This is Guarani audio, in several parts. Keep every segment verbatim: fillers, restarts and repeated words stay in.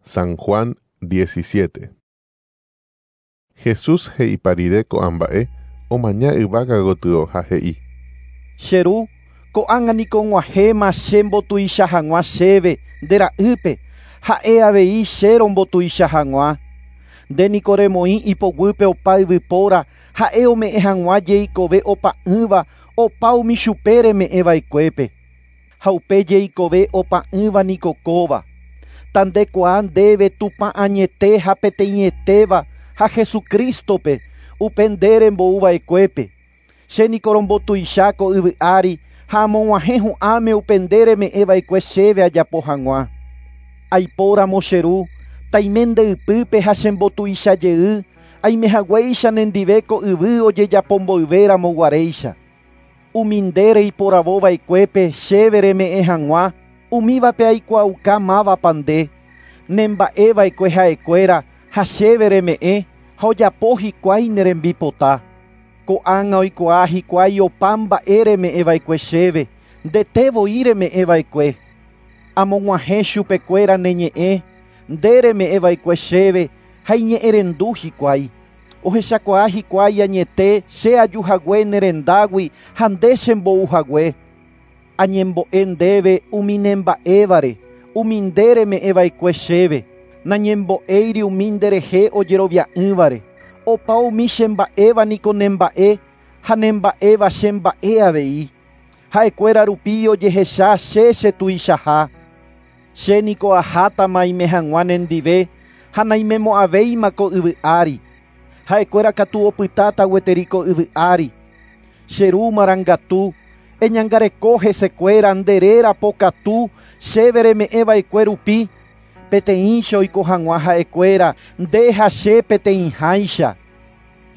San Juan diecisiete. Jesús he'ipa rire ko'ã mba'e omaña yvága gotyo ha he'i. Che ru, ko'ág̃a niko og̃uahẽma che mbotuicha hag̃ua chéve nde ra'ýpe, ha'e avei che rombotuicha hag̃ua. Nde niko remoĩ ipoguýpe opa yvypóra, ha'e ome'ẽ hag̃ua jeikove opa'ỹva opa umi chupe reme'ẽva'ekuépe. Ha upe jeikove opa'ỹva niko kóva. Tandekuaa ndéve Tupã añete ha peteĩetéva ha Jesucristope upe nde rembouva'ekuépe. Che niko rombotuicha ko yvy ári ha amog̃uahẽ hu'ãme upe nde reme'ẽva'ekue chéve ajapo hag̃ua. Aipóramo che ru, taime nde ypýpe ha chembotuicha jey, aimehaguéicha nendive ko yvy ojejapomboyvéramo guaréicha. Umi nde reiporavova'ekuépe chéve reme'ẽ hag̃ua, umívape aikuaauka mávapa nde. Nemba'eva'ekue ha'ekuéra ha chéve reme'ẽ ha ojapo hikuái ne rembipota. Ko'ág̃a oikuaa hikuái opa mba'e reme'ẽva'ekue chéve, ndete voi reme'ẽva'ekue. Amog̃uahẽ chupekuéra ne ñe'ẽ, nde reme'ẽva'ekue chéve ha iñe'ẽrendu hikuái. Ohechakuaa hikuái añete che ajuhague ne rendágui ha nde chembouhague. Añembo'e ndéve umi nemba'évare, umi nde reme'ẽva'ekue chéve. Nañembo'éiri umi nderehe ojerovia'ỹvare. Opa umi chemba'éva niko nemba'e ha nemba'éva chemba'e avei. Ha'ekuéra rupi ojehecha che chetuichaha. Che niko ahátama aime hag̃ua nendive ha naimemo'ãvéima ko yvy ári. Ha'ekuéra katu opytáta gueteri ko yvy ári. Che ru marangatu, eñangareko hesekuéra nde réra pokatu chéve reme'ẽva'ekue rupi, peteĩcha oiko hag̃ua ha'ekuéra nde ha che peteĩháicha.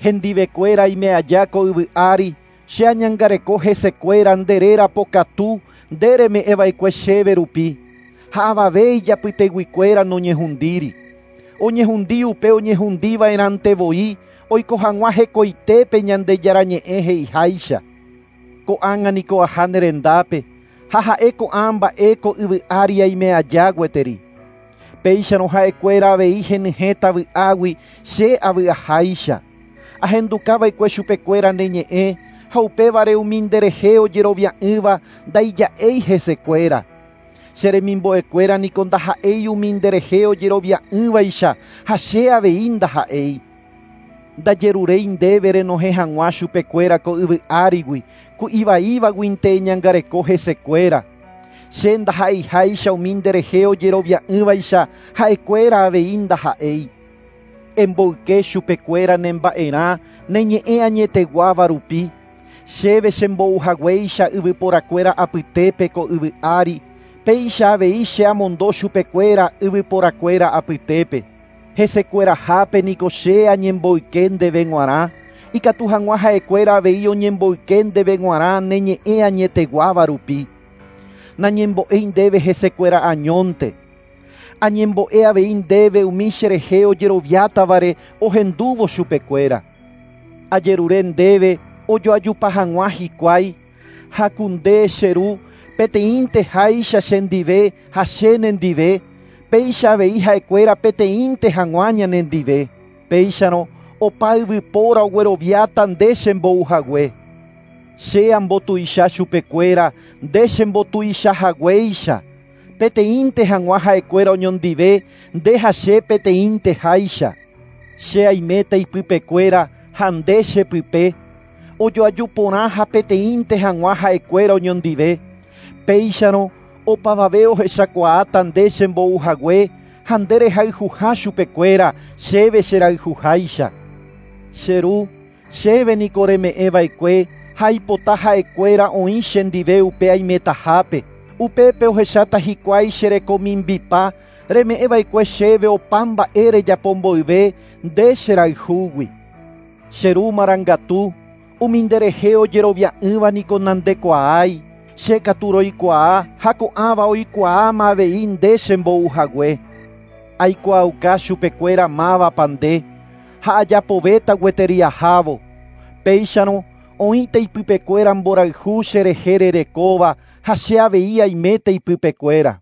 Hendivekuéra aime aja ko yvy ári, che añangareko hesekuéra nde réra pokatu nde reme'ẽva'ekue chéve rupi. Ha avave ijapyteguikuéra noñehundíri. Oñehundi upe oñehundiva'erãnte voi oiko hag̃ua hekoitépe Ñandejára ñe'ẽ he'iháicha. Ko'ág̃a niko aha ne rendápe ha ha'e ko'ã mba'e ko yvy ári aime aja gueteri. Péicharõ ha'ekuéra avei henyhẽta vy'águi che avy'aháicha. Ahendukava'ekue chupekuéra ne ñe'ẽ ha upévare umi nderehe ojerovia'ỹva ndaija'éi hesekuéra. Che remimbo'ekuéra niko ndaha'éi umi nderehe ojerovia'ỹvaicha ha che avei ndaha'éi. Ndajeruréi ndéve renohẽ hag̃ua chupekuéra ko yvy árigui, ku ivaívaguinte eñangareko hesekuéra. Che ndaha'eiháicha umi nderehe ojerovia'ỹvaicha ha'ekuéra avei ndaha'éi. Emboyke chupekuéra nemba'erã ne ñe'ẽ añeteguáva rupi. Chéve chembouhaguéicha yvyporakuéra apytépe ko yvy ári, péicha avei che amondo chupekuéra yvyporakuéra apytépe. Hesekuerahápe niko che añemboyke ndéve g̃uarã, ikatu hag̃ua ha'ekuéra avei oñemboyke ndéve g̃uarã ne ñe'ẽ añeteguáva rupi. Nañembo'éi ndéve hesekuéra añónte. Añembo'e avei ndéve umi cherehe ojeroviátavare ohendúvo chupekuéra. Ajerure ndéve ojoajupa hag̃ua hikuái, ha ku nde che ru peteĩnte háicha chendive ha che nendive, péicha avei ha'ekuéra peteĩnte hag̃ua ñanendive. Péicharõ opa yvypóra ogueroviáta nde chembouhague. Che ambotuicha chupekuéra nde chembotuichahaguéicha. Peteĩnte hag̃ua ha'ekuéra oñondive nde ha che peteĩnte háicha. Che aiméta ipypekuéra ha nde chepype. Ojoaju porã ha peteĩnte hag̃ua ha'ekuéra oñondive. Péicharõ opavave ohechakuaáta nde chembouhague ha nde rehayhuha chupekuéra chéve cherayhuháicha. Che ru, chéve niko reme'ẽva'ekue ha aipota ha'ekuéra oĩ chendive upe aimetahápe. Upépe ohecháta hikuái cherekomimbipa reme'ẽva'ekue chéve opa mba'e rejapomboyve nde cherayhúgui. Che ru marangatu, umi nderehe ojerovia'ỹva niko nandekuaái. Che katu roikuaa ha ko'ãva oikuaáma avei nde chembouhague. Aikuaauka chupekuéra mávapa nde ha ajapovéta gueteri ahávo. Péicharõ oĩta ipypekuéra mborayhu cherehe rerekóva ha che avei aiméta ipypekuéra.